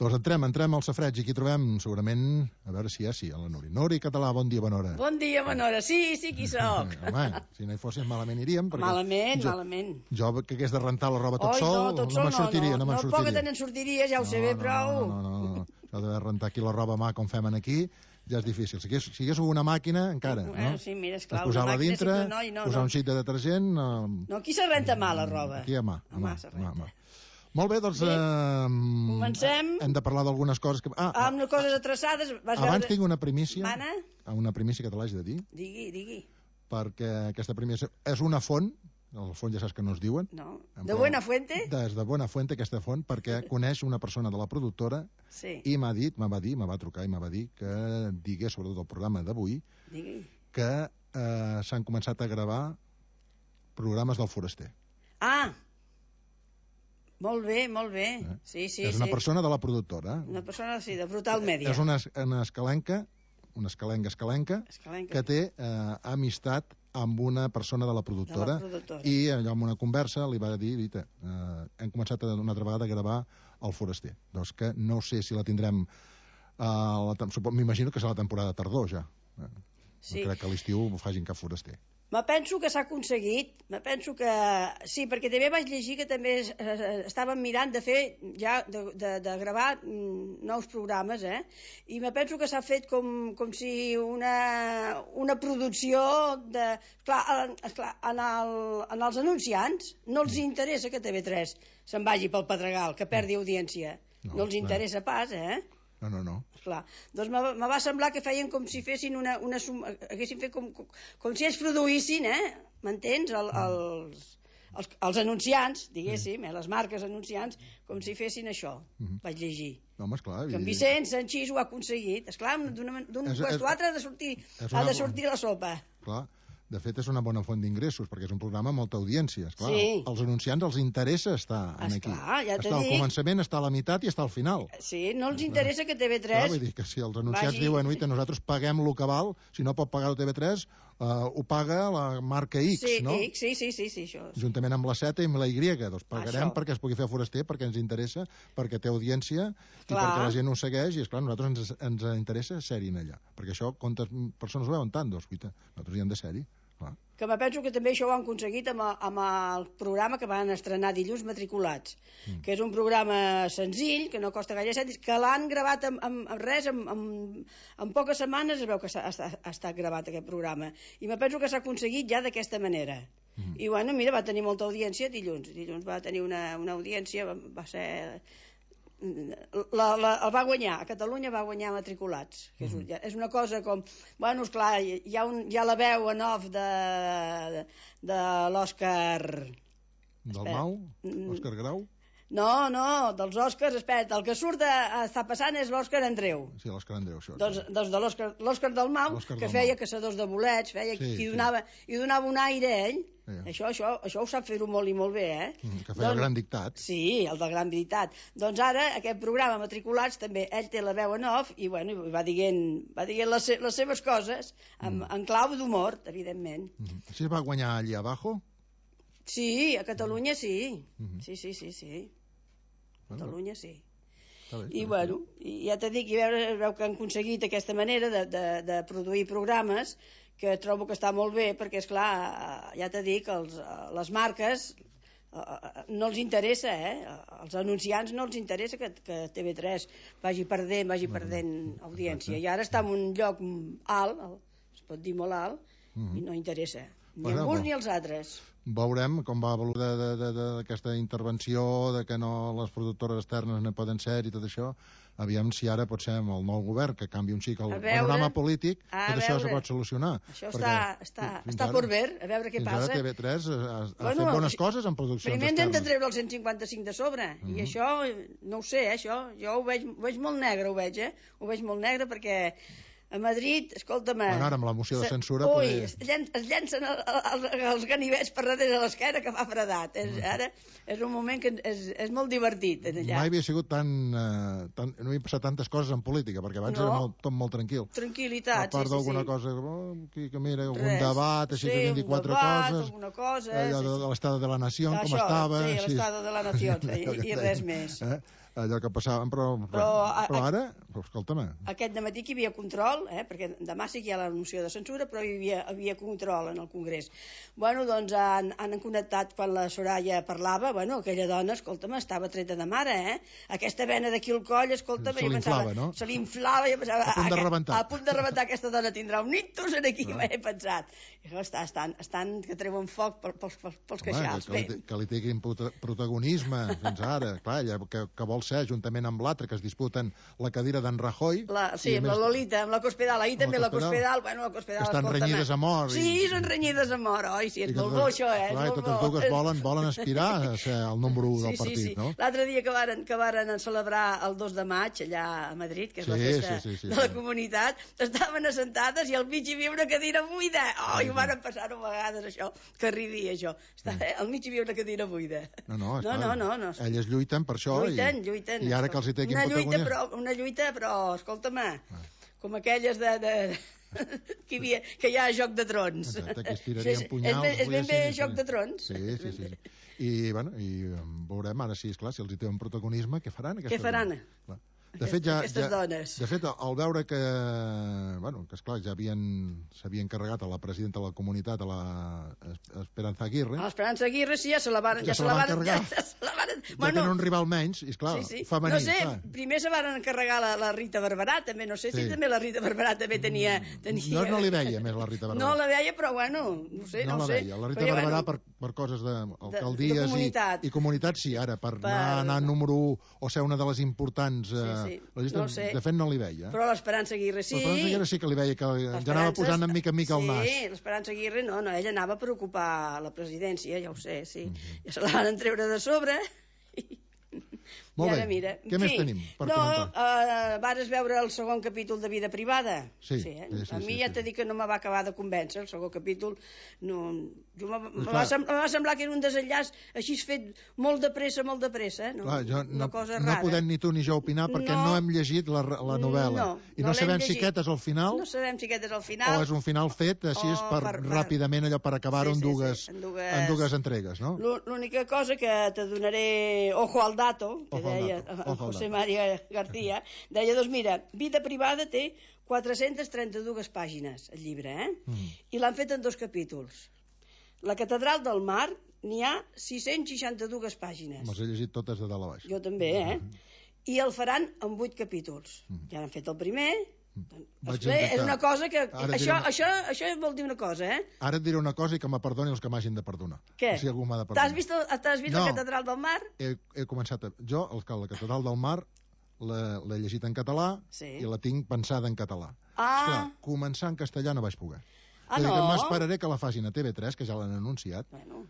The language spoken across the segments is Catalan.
Doncs entrem al safreig i aquí trobem segurament, a veure si a la Nuri. Nuri Català, bon dia, bona hora. Bon dia, bona hora. Sí, qui soc. Home, si no hi fossin malament iríem. Malament. Jo que hagués de rentar la roba tot sol, no me'n sortiria. No, poc que te'n sortiries, ja ho sé bé, prou. No. Això de rentar aquí la roba a mà com fem aquí ja és difícil. Si hagués una màquina, encara, no? Sí, mira, esclar, posar-la dintre, posar un xic de detergent... No, aquí se renta mà la roba. Aquí a mà. Molt bé, doncs... Comencem. Hem de parlar d'algunes coses que... Amb coses atreçades... Abans tinc una primícia. Mana? Una primícia que te l'haig de dir. Digui. Perquè aquesta primícia és una font, el font ja saps que no es diuen. No. De Buena Fuente? Des de Buena Fuente, aquesta font, perquè coneix una persona de la productora i m'ha va trucar i m'ha dit que digués, sobretot el programa d'avui, que s'han començat a gravar programes del Foraster. Molt bé. Sí. És una persona de la productora. Una persona, sí, de Brutal Media. És una escalenca, que té amistat amb una persona de la productora. I allò en una conversa li va dir, hem començat una altra vegada a gravar el Foraster. Doncs que no sé si la tindrem, m'imagino que serà la temporada tardor ja. No crec que a l'estiu facin cap Foraster. Me penso que s'ha aconseguit, sí, perquè també vaig llegir que també estaven mirant de fer ja, de gravar nous programes, i me penso que s'ha fet com si una producció de... Esclar, en els anunciants no els interessa que TV3 se'n vagi pel Pedregal, que perdi audiència. No els interessa pas, No. Esclar. Doncs me va semblar que feien com si fessin haguessin fet com si ells produïssin, m'entens? Els anunciants, diguéssim, les marques anunciants, com si fessin això, vaig llegir. No, home, esclar. Que en Vicenç Sanchís ho ha aconseguit. Esclar, d'un puesto a l'altre ha de sortir la sopa. Clar. De fet, és una bona font d'ingressos, perquè és un programa amb molta audiència. Esclar, sí. Els anunciants els interessa estar aquí. Ja està al començament, està a la meitat i està al final. Sí, no els interessa que TV3... Clar, vull dir que si els anunciants diuen, nosaltres paguem el que val, si no pot pagar el TV3, ho paga la marca X, no? Sí, això. Juntament amb la Z i amb la Y, doncs pagarem perquè es pugui fer Foraster, perquè ens interessa, perquè té audiència i perquè la gent ho segueix, i esclar, nosaltres ens interessa ser-hi allà. Perquè això, quantes persones ho veuen tant? Doncs, nosaltres hi hem de ser-hi. Que me penso que també això ho han aconseguit amb el programa que van estrenar dilluns, Matriculats, que és un programa senzill, que no costa gaire cèntims, que l'han gravat en poques setmanes. Es veu que ha estat gravat aquest programa, i me penso que s'ha aconseguit ja d'aquesta manera. I bueno, mira, va tenir molta audiència dilluns va tenir una audiència, va ser... el va guanyar, a Catalunya va guanyar Matriculats, que és una cosa com, bueno, esclar, hi ha la veu en off de l'Òscar del Mau? Òscar Grau? No, dels Òscars, espera, el que surt està passant és l'Òscar Andreu. Sí, l'Òscar Andreu, això. Doncs de l'Òscar del Mau, que feia caçadors de bolets, i donava un aire a ell. Això ho sap fer-ho molt i molt bé, Que feia el Gran Dictat. Sí, el del Gran Dictat. Doncs ara, aquest programa Matriculats, també ell té la veu en off i va dient les seves coses en clau d'humor, evidentment. Així es va guanyar allà abajo? Sí, a Catalunya sí. Sí. Catalunya sí. I bueno, ja t'he dit, veu que han aconseguit aquesta manera de produir programes, que trobo que està molt bé, perquè esclar, ja t'he dit que les marques no els interessa, als anunciants no els interessa que TV3 vagi perdent audiència, i ara està en un lloc alt, es pot dir molt alt, i no interessa ni a uns ni als altres. Veurem com va valorar d'aquesta intervenció, de que no les productores externes no poden ser i tot això. Aviam si ara pot ser amb el nou govern que canvi un xic el panorama polític, tot això se pot solucionar. Això està per ver, a veure què passa. Fins ara TV3 ha fet bones coses en produccions externes. Primer hem de treure el 155 de sobre, i això, no ho sé, això, jo ho veig molt negre, ho veig molt negre, perquè a Madrid, escolta'm... Bueno, ara amb la moció de censura... Es llencen els ganivets per darrere de l'esquena que fa fredat. Ara és un moment que és molt divertit. Mai havia sigut tan... No havia passat tantes coses en política, perquè abans era tot molt tranquil. Tranquil·litat, sí. A part d'alguna cosa, que mira, algun debat, així que 24 coses... alguna cosa... Allò de l'Estado de la Nació, com estava... Sí, l'Estado de la Nació, i res més. allò que passàvem, però ara, escolta'm... Aquest dematí que hi havia control, perquè demà sí que hi ha la moció de censura, però hi havia control en el Congrés. Bueno, doncs han connectat quan la Soraya parlava, bueno, aquella dona, escolta'm, estava treta de mare, Aquesta vena d'aquí al coll, escolta'm, se l'inflava, no? Se l'inflava, jo pensava... A punt de rebentar. A punt de rebentar, aquesta dona tindrà un ictus aquí, m'he pensat. Estan que treuen foc pels queixals. Que li tinguin protagonisme fins ara. Clar, ella que vol ser, juntament amb l'altre, que es disputen la cadira d'en Rajoy. Sí, amb la Lolita, amb la Cospedal. Ahir també la Cospedal, bueno, la Cospedal... Que estan renyides a mort. Sí, són renyides a mort. Oi, sí, és molt bo això, Clar, i totes dues volen aspirar a ser el número 1 del partit, no? L'altre dia que varen celebrar el 2 de maig, allà a Madrid, que és la festa de la comunitat, estaven assentades i al mig hi havia una cadira buida. I ho van passar-ho a vegades, això, que ridia, això. Al mig hi havia una cadira buida. No. Elles lluiten per això. Lluiten. I ara que els hi tequin protagonisme... Una lluita, però, escolta'm, com aquelles que hi ha a Joc de Trons. Exacte, que es tirarien punyals. És ben bé Joc de Trons. Sí. I veurem ara, si esclar, si els hi té un protagonisme, què faran? Què faran? De fet, dones. De fet, al veure que esclar, ja s'havien carregat a la presidenta de la comunitat, a la Esperanza Aguirre. A l'Esperanza Aguirre, sí, ja se la van carregar. Ja tenen un rival menys, i esclar, femení. No sé, primer se van encarregar la Rita Barberà, també, no sé si també la Rita Barberà també tenia... No li veia més la Rita Barberà. No la veia, però bueno, no sé. No la veia, la Rita Barberà per coses d'alcaldies i comunitats, sí, ara, per anar número 1 o ser una de les importants... No sé. De fet, no li veia. Però l'Esperanza Aguirre sí. L'Esperanza Aguirre sí que li veia, que ja anava posant en mica el nas. Sí, l'Esperanza Aguirre no, ella anava per ocupar la presidència, ja ho sé, sí. Ja se la van treure de sobre Molt bé, mira. Què més tenim per comentar? Vares veure el segon capítol de Vida Privada? Sí. A mi ja t'he dit que no me va acabar de convèncer, el segon capítol. Me va semblar que era un desenllaç així fet molt de pressa. No podem ni tu ni jo opinar perquè no hem llegit la novel·la. I no sabem si aquest és el final. No sabem si aquest és el final. O és un final fet així ràpidament, allò per acabar-ho en dues entregues, no? L'única cosa que te donaré ojo al dato, que deia José María García, deia, doncs mira, Vida Privada té 432 pàgines, el llibre, i l'han fet en 2 capítols. La Catedral del Mar n'hi ha 662 pàgines. Me'ls he llegit totes de dalt a baix. Jo també, I el faran en 8 capítols. Ja han fet el primer... És una cosa que... Això vol dir una cosa, Ara et diré una cosa i que me perdoni els que m'hagin de perdonar. Què? Si algú m'ha de perdonar. T'has vist la Catedral del Mar? He començat... Jo, la Catedral del Mar, l'he llegit en català i la tinc pensada en català. Esclar, començar en castellà no vaig poder. M'esperaré que la facin a TV3, que ja l'han anunciat. Bueno...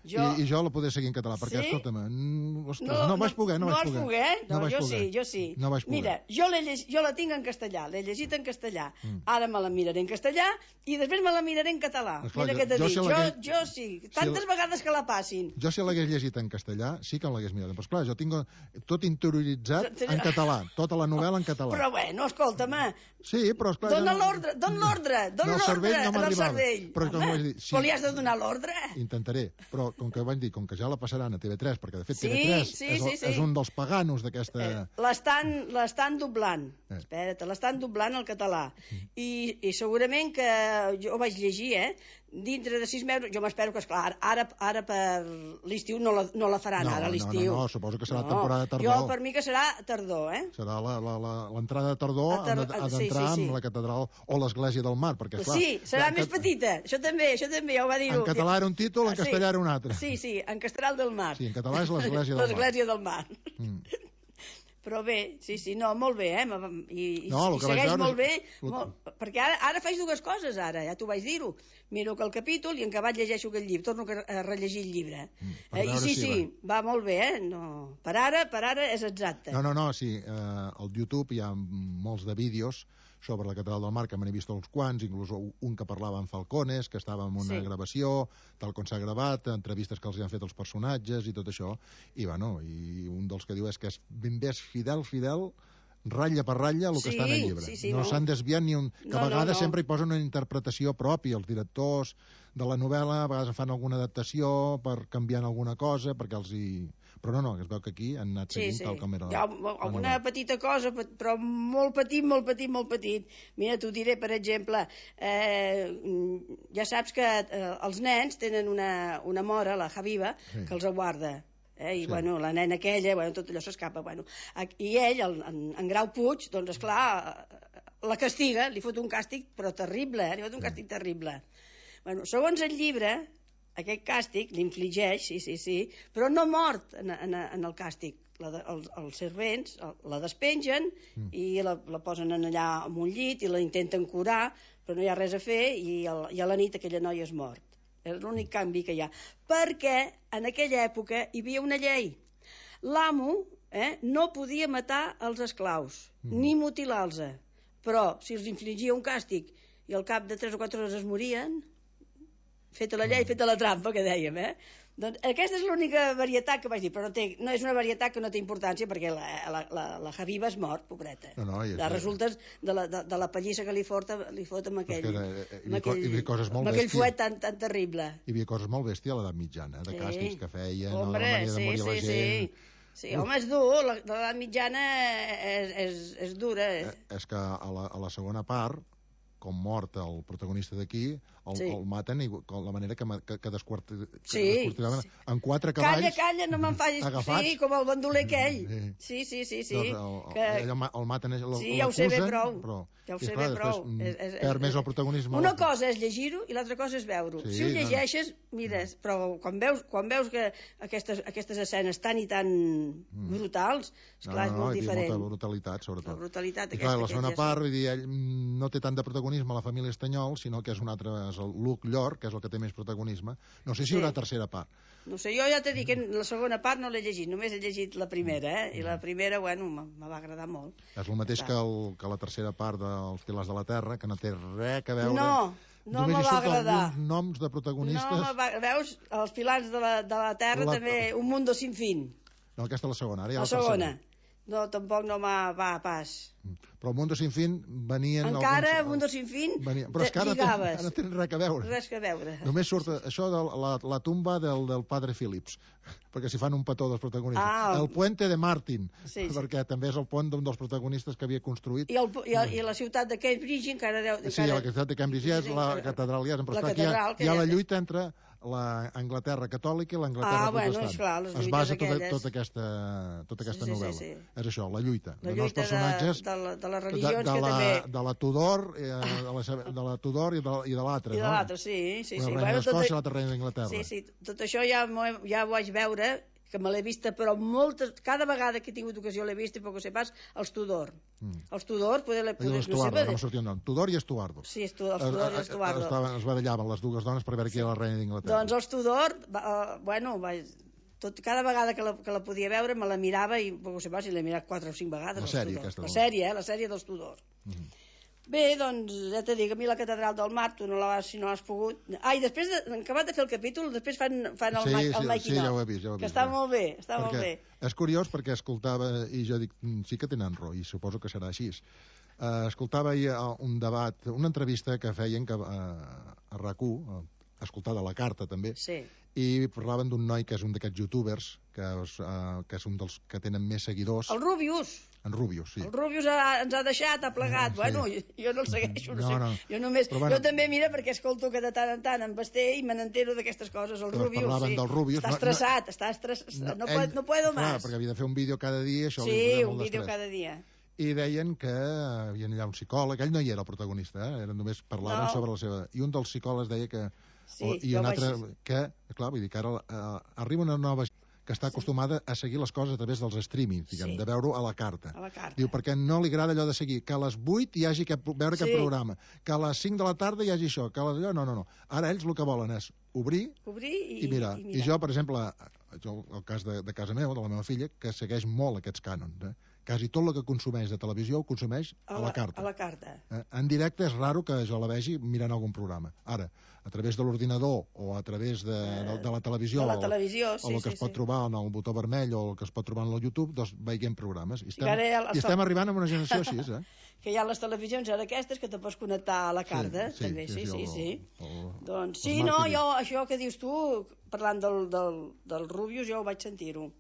I jo la podré seguir en català, perquè, escolta'm, no vaig poder. No vas poder? Jo sí. No vaig poder. Mira, jo la tinc en castellà, l'he llegit en castellà. Ara me la miraré en castellà i després me la miraré en català. Mira què t'he dit. Jo sí. Tantes vegades que la passin. Jo si l'hagués llegit en castellà, sí que l'hagués mirat. Però esclar, jo tinc tot interioritzat en català, tota la novel·la en català. Però bueno, escolta'm. Sí, però esclar... Dóna l'ordre en el cervell. Però li has de donar l'ordre. Intentaré, però com que ja la passaran a TV3, perquè de fet TV3 és un dels paganos d'aquesta... L'estan doblant. Espera't, l'estan doblant al català. I segurament que jo ho vaig llegir, dintre de 6 mesos, jo m'espero que, esclar, ara per l'estiu no la faran, ara a l'estiu. No, suposo que serà temporada tardor. Jo, per mi que serà tardor, Serà l'entrada de tardor, ha d'entrar amb la catedral o l'església del Mar, perquè, clar... Sí, serà més petita, això també, ja ho va dir-ho. En català era un títol, en castellà era un altre. Sí, en Castral del Mar. Sí, en català és l'església del Mar. L'església del Mar. Però bé, sí, no, molt bé, i segueix molt bé, perquè ara faig 2 coses, ja t'ho vaig dir-ho. Miro que el capítol i en acabat llegeixo aquell llibre, torno a rellegir el llibre. I sí, va molt bé, per ara és exacte. No, sí, al YouTube hi ha molts de vídeos sobre la Catedral del Mar, que me n'he vist uns quants, inclús un que parlava amb Falcones, que estava en una gravació, tal com s'ha gravat, entrevistes que els han fet els personatges i tot això, i un dels que diu és que és ben bé fidel ratlla per ratlla el que està en el llibre. No s'han desviat ni un... Que a vegades sempre hi posen una interpretació pròpia, els directors de la novel·la, a vegades fan alguna adaptació per canviar alguna cosa, perquè els hi... Però no, es veu que aquí han anat seguint tal com era... Hi ha alguna petita cosa, però molt petit, molt petit, molt petit. Mira, t'ho diré, per exemple, ja saps que els nens tenen una mora, la Habiba, que els aguarda. I bueno, la nena aquella, tot allò s'escapa. I ell, en Grau Puig, doncs esclar, la castiga, li fot un càstig, però terrible, li fot un càstig terrible. Segons el llibre, aquest càstig l'infligeix, sí, però no mort en el càstig. Els servents la despengen i la posen allà en un llit i la intenten curar, però no hi ha res a fer i a la nit aquella noia és mort. És l'únic canvi que hi ha. Perquè en aquella època hi havia una llei. L'amo no podia matar els esclaus, ni mutilar-los. Però si els infligia un càstig i al cap de 3 o 4 hores es morien, feta la llei, feta la trampa, que dèiem, Doncs aquesta és l'única varietat que vaig dir, però no és una varietat que no té importància perquè la Habiba és mort, pobreta. Resulta de la pallissa que li fot amb aquell fuet tan terrible. Hi havia coses molt bèsties a l'edat mitjana, de càstigs que feien, de la manera de morir la gent... Sí, home, és dur, l'edat mitjana és dura. És que a la segona part, com mort el protagonista d'aquí, el maten i la manera que desquartiraven en 4 cavalls. Calla, no me'n facis. Sí, com el bandoler aquell. Sí. El maten, ja ho sé bé prou. Ja ho sé bé prou. Perd més el protagonisme. Una cosa és llegir-ho i l'altra cosa és veure-ho. Si ho llegeixes, mires, però quan veus que aquestes escenes tan i tan brutals, esclar, és molt diferent. Molta brutalitat, sobretot. La brutalitat aquesta. I clar, la segona part, vull dir, ell no té tant de protagonisme a la família Estanyol, sinó que és un altre, és el Luc Llor, que és el que té més protagonisme. No sé si hi haurà tercera part. No sé, jo ja t'he dit que la segona part no l'he llegit, només he llegit la primera, i la primera, bueno, me va agradar molt. És el mateix que la tercera part dels Pilars de la Terra, que no té res a veure... No me va agradar. Només noms de protagonistes... Veus, els Pilars de la Terra també, Un mundo sin fin. No, aquesta és la segona, ara hi ha la segona. No, tampoc no va pas. Però el Mundo Sin Fin venien... Encara, el Mundo Sin Fin, però és que ara no tenen res a veure. Res a veure. Només surt això de la tumba del padre Phillips, perquè s'hi fan un petó dels protagonistes. El Puente de Martin, perquè també és el pont d'un dels protagonistes que havia construït. I la ciutat de Cambridge encara... Sí, la ciutat de Cambridge ja és la catedral, ja és, però aquí hi ha la lluita entre l'Anglaterra catòlica i l'Anglaterra protestant. Es basa tota aquesta novel·la. És això, la lluita dels personatges de les religions que també... De la Tudor i de l'altra. I de l'altra, sí. La reina d'Escòcia i l'altra reina d'Anglaterra. Sí, tot això ja ho vaig veure, que me l'he vista, però cada vegada que he tingut ocasió l'he vist, i poc o sé pas, els Tudor. Els Tudor, no sortia un nom. Tudor i Estuardo. Sí, els Tudor i Estuardo. Es barallaven les dues dones per veure qui era la reina d'Anglaterra. Doncs els Tudor, bueno, cada vegada que la podia veure me la mirava i, poc o sé pas, si l'he mirat 4 o 5 vegades. La sèrie dels Tudor. Bé, doncs, ja t'he dit, a mi la catedral del Mar, tu si no l'has pogut... I després, acabat de fer el capítol, després fan el making of. Sí, ja ho he vist. Que està molt bé, molt bé. És curiós perquè escoltava, i jo dic, sí que tenen raó, i suposo que serà així. Escoltava ahir un debat, una entrevista que feien a RAC1, escoltada a la Carta també, i parlaven d'un noi que és un d'aquests youtubers, que és un dels que tenen més seguidors. El Rubius. En Rubius, sí. El Rubius ens ha deixat, ha plegat. Bueno, jo no el segueixo, no sé. Jo només... Jo també, mira, perquè escolto que de tant en tant en Basté i me n'entero d'aquestes coses. El Rubius, parlaven del Rubius. Està estressat. No puedo más. Clar, perquè havia de fer un vídeo cada dia. Sí, un vídeo cada dia. I deien que hi havia un psicòleg, ell no hi era el protagonista, només parlaven sobre la seva... I un dels psicòlegs deia que... I un altre que, clar, vull dir que ara arriba una nova que està acostumada a seguir les coses a través dels streamings, diguem, de veure-ho a la carta. Diu, perquè no li agrada allò de seguir, que a les 8 hi hagi veure aquest programa, que a les 5 de la tarda hi hagi això, que a les... No. Ara ells el que volen és obrir i mirar. I jo, per exemple, el cas de casa meva, de la meva filla, que segueix molt aquests cànons, quasi tot el que consumeix de televisió ho consumeix a la carta. A la carta. En directe és raro que jo la vegi mirant algun programa. Ara, a través de l'ordinador o a través de la televisió, o el que es pot trobar en el botó vermell o el que es pot trobar en el YouTube, doncs veiem programes. I estem arribant a una generació així, que hi ha les televisions ara aquestes que te pots connectar a la carta, també, sí. Doncs sí, no, jo, això que dius tu, parlant del Rubius, jo ho vaig sentir-ho.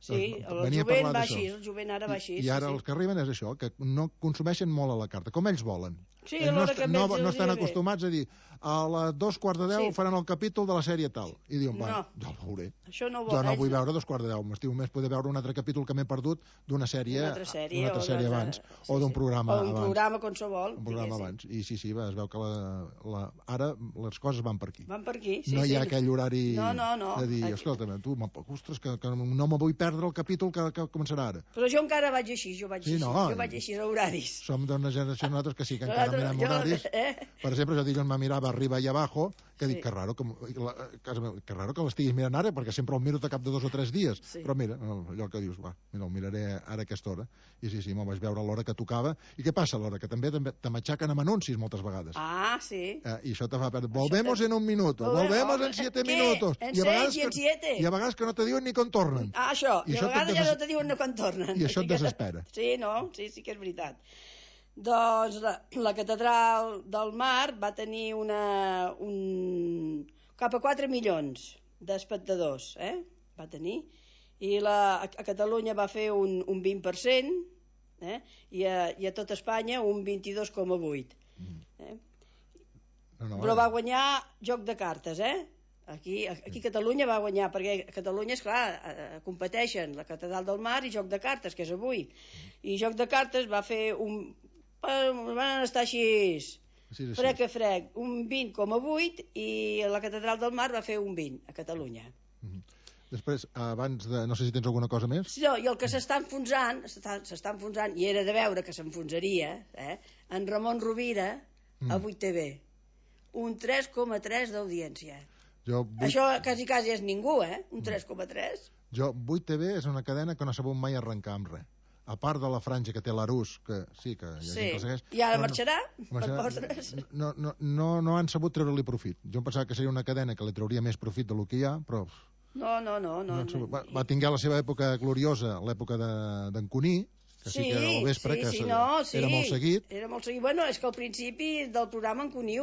Sí, el jovent va així, el jovent ara va així. I ara els que arriben és això, que no consumeixen molt a la carta, com ells volen. Sí, no estan acostumats a dir a les 2:15 faran el capítol de la sèrie tal. I diuen, ja el veuré. Jo no vull veure 2:15, m'estimo més poder veure un altre capítol que m'he perdut d'una sèrie abans, o d'un programa abans. O un programa qualsevol. Un programa abans. I sí, es veu que ara les coses van per aquí. Van per aquí, sí. No hi ha aquell horari de dir, escolta'm, tu, ostres, que no me vull perdre el capítol que començarà ara. Però jo encara vaig així, jo vaig així a horaris. Som d'una generació nosaltres que sí, que encara mirem horaris. Per exemple, jo dilluns me mirava Arriba i Abajo, que dic, que raro que l'estiguis mirant ara, perquè sempre el miro de cap de 2 o 3 dies. Però mira, allò que dius, el miraré ara a aquesta hora. I sí, me'l vaig veure a l'hora que tocava. I què passa a l'hora? Que també te m'aixaquen amb anuncis moltes vegades. Ah, sí. I això te fa perdre. Volvemos en un minuto, volvemos en 7 minutos. En 6 i en 7. I a vegades que no te diuen ni quan tornen. Ah, això. I a vegades ja no te diuen ni quan tornen. I això et desespera. Sí, sí que és veritat. Doncs la Catedral del Mar va tenir cap a 4 milions d'espectadors, va tenir, i a Catalunya va fer un 20%, i a tot Espanya un 22,8%. Però va guanyar Joc de Cartes, Aquí Catalunya va guanyar, perquè a Catalunya, esclar, competeixen la Catedral del Mar i Joc de Cartes, que és avui. I Joc de Cartes va fer van estar així, frec, un 20,8, i la Catedral del Mar va fer un 20 a Catalunya. Després, abans de... No sé si tens alguna cosa més? No, i el que s'està enfonsant, i era de veure que s'enfonsaria, en Ramon Rovira, a 8TV. Un 3,3 d'audiència. Això quasi és ningú, un 3,3. 8TV és una cadena que no ha sabut mai arrencar amb res. A part de la franja que té l'Arús, que sí, que hi ha gent que el segueix... I ara marxarà per postres. No han sabut treure-li profit. Jo em pensava que seria una cadena que li trauria més profit del que hi ha, però... No. Va tinguer la seva època gloriosa, l'època d'en Cuní, que sí que era al vespre, era molt seguit. Era molt seguit. Bueno, és que al principi del programa en Cuní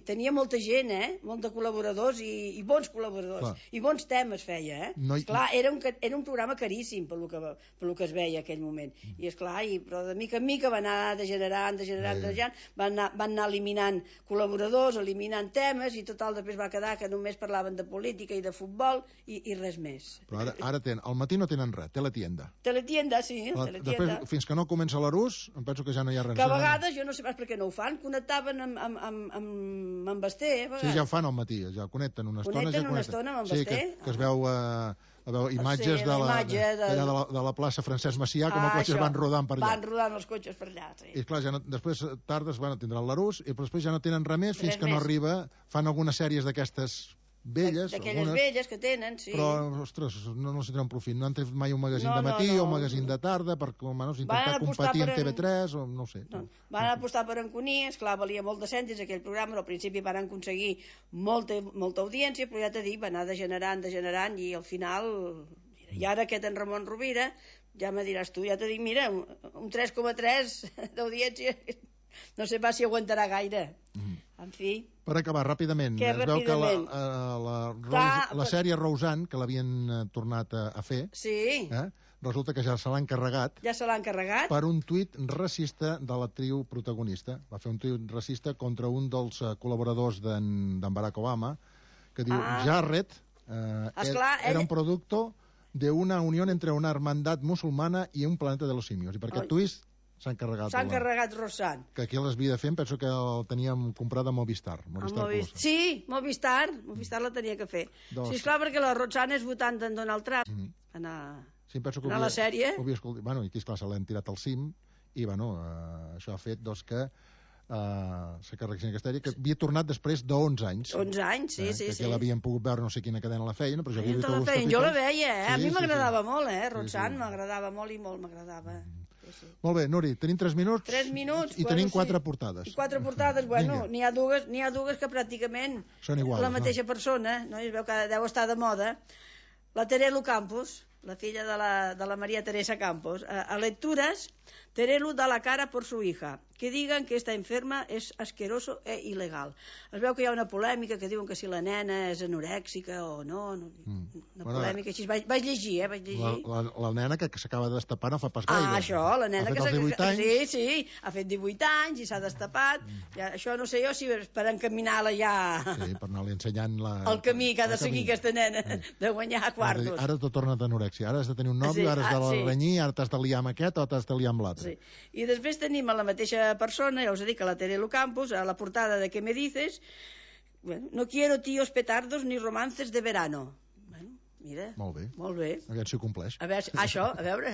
tenia molta gent, molt de col·laboradors i bons col·laboradors. I bons temes feia, Esclar, era un programa caríssim pel que es veia en aquell moment. I esclar, però de mica en mica va anar degenerant, van anar eliminant col·laboradors, eliminant temes, i total després va quedar que només parlaven de política i de futbol i res més. Però ara al matí no tenen res, Teletienda. Teletienda, sí, Teletienda. Fins que no comença l'Arús, em penso que ja no hi ha res. Que a vegades, jo no sé pas per què no ho fan, connectaven amb Basté. Sí, ja ho fan al matí, ja connecten una estona. Connecten una estona amb Basté. Sí, que es veu imatges de la plaça Francesc Macià, com els cotxes van rodant per allà. Van rodant els cotxes per allà, sí. I clar, després tardes tindran l'Arús, i després ja no tenen res més fins que no arriba, fan algunes sèries d'aquestes velles, d'aquelles velles que tenen, sí. Però, ostres, no els tenen profit. No han tret mai un magazín de matí o un magazín de tarda per intentar competir amb TV3 o no ho sé. Van apostar per en Cuní, esclar, valia molt de cèntims aquell programa, al principi van aconseguir molta audiència, però ja t'he dit, va anar degenerant, i al final, i ara aquest en Ramon Rovira, ja me diràs tu, ja t'he dit, mira, un 3,3 d'audiència, no sé pas si aguantarà gaire. En fi... Per acabar, ràpidament, es veu que la sèrie Roseanne, que l'havien tornat a fer, resulta que ja se l'ha encarregat. Ja se l'ha encarregat? Per un tuit racista de l'actriu protagonista. Va fer un tuit racista contra un dels col·laboradors d'en Barack Obama, que diu, Jared era un producto de una unión entre una hermandad musulmana y un planeta de los simios. I per aquest tuit s'ha encarregat Roseanne. Que aquí l'havia de fer, penso que el teníem comprat a Movistar. Sí, Movistar la tenia que fer. Sí, esclar, perquè la Roseanne és votant d'en Donald Trump. A la sèrie. Bueno, i aquí, esclar, se l'han tirat al cim, i bueno, això ha fet que s'ha carregat aquesta sèrie, que havia tornat després d'11 anys. 11 anys, sí. Que l'havien pogut veure, no sé quina cadena la feien, però jo la veia, a mi m'agradava molt, Roseanne, m'agradava molt i molt m'agradava. Molt bé, Nuri, tenim 3 minuts. 3 minuts. I tenim 4 portades. I 4 portades, bueno, n'hi ha dues que pràcticament són iguals, la mateixa persona, no? Es veu que deu estar de moda. La Terelu Campos, la filla de la María Teresa Campos, a lecturas, Terelu da la cara por su hija. Que digan que esta enferma és asqueroso e il·legal. Es veu que hi ha una polèmica que diuen que si la nena és anorèxica o no. Una polèmica així. Vaig llegir, vaig llegir. La nena que s'acaba de destapar no fa pas gaire. Això, la nena que s'ha fet 18 anys. Sí, ha fet 18 anys i s'ha destapat. Això no sé jo si per encaminar-la ja... Sí, per anar-li ensenyant el camí que ha de seguir aquesta nena, de guanyar quartos. Ara t'ho torna d'anorèxia. Ara has de tenir un nòvio, ara has de renyir, ara t'has de liar amb aquest o t'has de liar amb l'altre. I després tenim a la mateixa persona, ja us he dit que la Terelu Campos, a la portada de ¿Qué me dices? Bueno, no quiero tíos petardos ni romances de verano. Bueno, mira. Molt bé. Molt bé. A veure si ho compleix. A veure, això, a veure,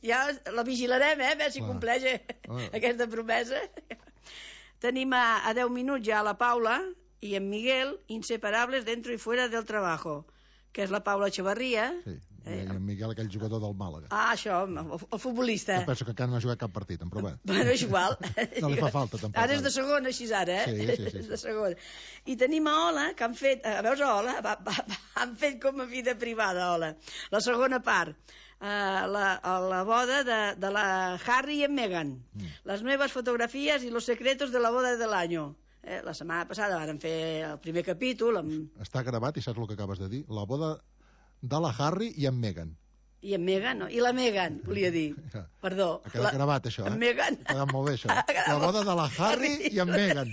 ja la vigilarem, a veure si compleix aquesta promesa. Tenim a 10 minuts ja la Paula i en Miguel, inseparables dentro y fuera del trabajo, que és la Paula Echevarría. Sí. I en Miguel, aquell jugador del Màlaga. Això, el futbolista. Jo penso que encara no ha jugat cap partit, però bé. Bueno, és igual. No li fa falta, tampoc. Ara és de segona, així ara, Sí. És de segona. I tenim a Ola, que han fet... Veus a Ola? Han fet com a vida privada, Ola. La segona part. La boda de la Harry i en Meghan. Les meves fotografies i los secretos de la boda del año. La setmana passada van fer el primer capítol. Està gravat i saps el que acabes de dir? La boda de la Harry i en Meghan. I en Meghan, no? I la Meghan, volia dir. Perdó. Ha quedat gravat, això, En Meghan. Ha quedat molt bé, això. La boda de la Harry i en Meghan.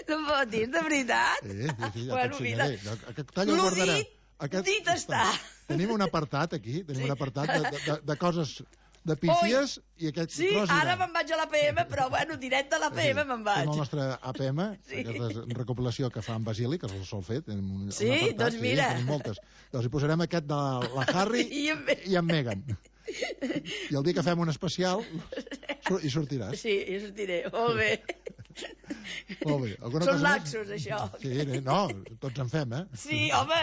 No em pot dir, de veritat? Sí, ja bueno, t'ensenyaré. Aquest tall el guardarem. Dit està. Tenim un apartat aquí, un apartat de coses de pífies i aquest sí, tros ara me'n vaig a l'APM, però bueno, directe a l'APM me'n vaig. Tenim el nostre APM, aquesta recopilació que fa en Basili, que el sol fer. Sí, doncs mira. Tenim moltes. Doncs hi posarem aquest de la Harry i en Meghan. I el dia que fem un especial hi sortiràs. Sí, hi sortiré. Molt bé. Molt bé. Són laxos, això. Sí, no, tots en fem, Sí, home,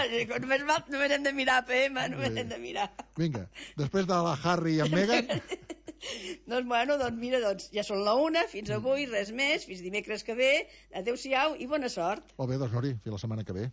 només hem de mirar APM, només hem de mirar. Vinga, després de la Harry i en Meghan... Doncs bueno, mira, ja són la 1, fins avui, res més, fins dimecres que ve, adeu-siau i bona sort. Molt bé, doncs Nori, fins la setmana que ve.